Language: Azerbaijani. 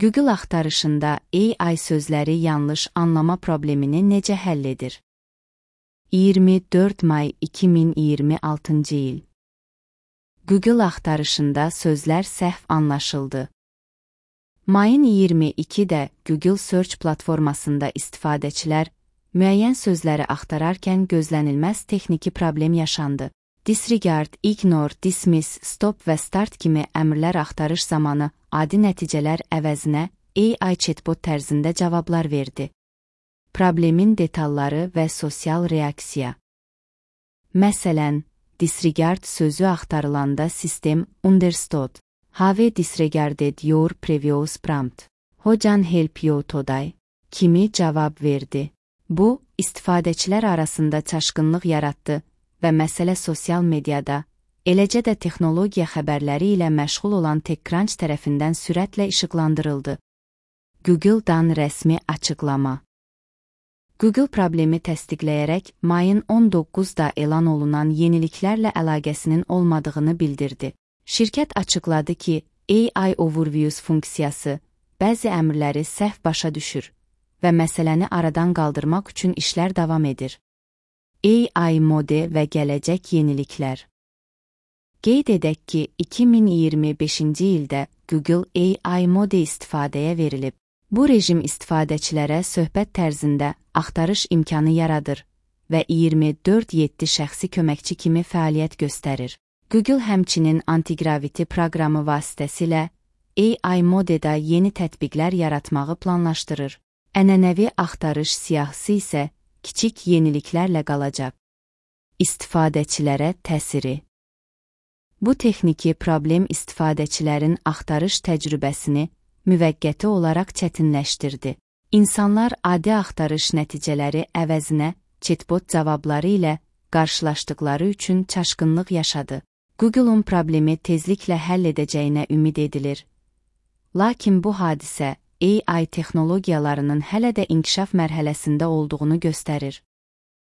Google axtarışında AI sözləri yanlış anlama problemini necə həll edir? 24 may 2026 il. Google axtarışında sözlər səhv anlaşıldı. Mayın 22-də Google Search platformasında istifadəçilər müəyyən sözləri axtararkən gözlənilməz texniki problem yaşandı. Disregard, ignore, dismiss, stop və start kimi əmrlər axtarış zamanı adi nəticələr əvəzinə AI chatbot tərzində cavablar verdi. Problemin detalları və sosial reaksiya. Məsələn, disregard sözü axtarılanda sistem understood. Have disregarded your previous prompt. How can help you today? Kimi cavab verdi. Bu, istifadəçilər arasında çaşqınlıq yaratdı və məsələ sosial mediada, eləcə də texnologiya xəbərləri ilə məşğul olan TechCrunch tərəfindən sürətlə işıqlandırıldı. Google-dan rəsmi açıqlama. Google problemi təsdiqləyərək mayın 19-da elan olunan yeniliklərlə əlaqəsinin olmadığını bildirdi. Şirkət açıqladı ki, AI Overviews funksiyası bəzi əmrləri səhv başa düşür və məsələni aradan qaldırmaq üçün işlər davam edir. AI mode və gələcək yeniliklər. Qeyd edək ki, 2025-ci ildə Google AI mode istifadəyə verilib. Bu rejim istifadəçilərə söhbət tərzində axtarış imkanı yaradır və 24/7 şəxsi köməkçi kimi fəaliyyət göstərir. Google həmçinin antigraviti proqramı vasitəsilə AI modedə yeni tətbiqlər yaratmağı planlaşdırır. Ənənəvi axtarış siyahısı isə kiçik yeniliklərlə qalacaq. İstifadəçilərə təsiri. Bu texniki problem istifadəçilərin axtarış təcrübəsini müvəqqəti olaraq çətinləşdirdi. İnsanlar adi axtarış nəticələri əvəzinə chatbot cavabları ilə qarşılaşdıqları üçün çaşqınlıq yaşadı. Google'un problemi tezliklə həll edəcəyinə ümid edilir. Lakin bu hadisə AI texnologiyalarının hələ də inkişaf mərhələsində olduğunu göstərir.